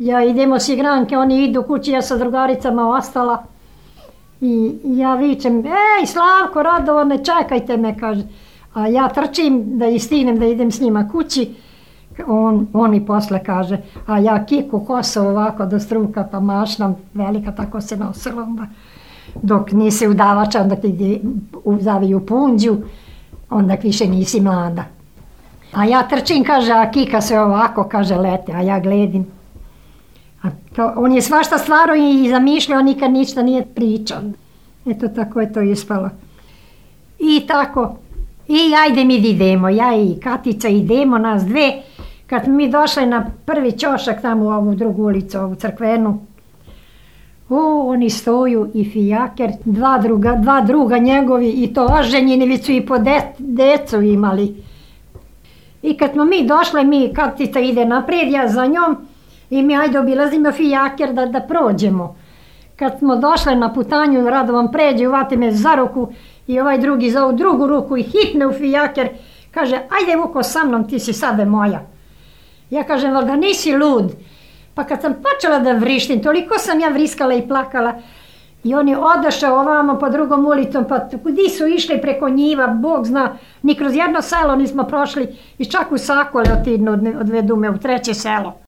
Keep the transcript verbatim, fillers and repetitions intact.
Ja idemo s igranke, oni idu kući, ja sa drugaricama ostala. I ja vičem, ej Slavko, Radovane, čekajte me, kaže. A ja trčim da istignem da idem s njima kući. On, on mi posle kaže, a ja kiku kosu ovako do struka, pa mašna velika, tako se nosila onda. Dok nisi udavača, onda ti zaviju punđu, onda više nisi mlada. A ja trčim, kaže, a kika se ovako, kaže, lete, a ja gledim. A to, on je svašta stvarao i zamišljao, nikad ništa nije pričao. Eto, tako je to ispalo. I tako, i ajde mi idemo, ja i Katica idemo, nas dve. Kad mi došli na prvi ćošak tamo u ovu drugu ulicu, ovu crkvenu, o, oni stoju i fijaker, dva druga, dva druga njegovi i to oženjeni, već su i po de, decu imali. I kad smo mi došli, mi, Katica ide naprijed, ja za njom, i mi ajde obilazimo fijaker da, da prođemo. Kad smo došli na putanju, Radovan pređe, uvati me za ruku i ovaj drugi za ovu drugu ruku i hitne u fijaker, kaže, ajde Vuko sa mnom, ti si sada moja. Ja kažem, ali da nisi lud. Pa kad sam počela da vrištim, toliko sam ja vriskala i plakala. I oni odošao ovamo po drugom ulicom, pa gdje su išli preko njiva, Bog zna, ni kroz jedno selo nismo prošli i čak u Sakole odvedu me u treće selo.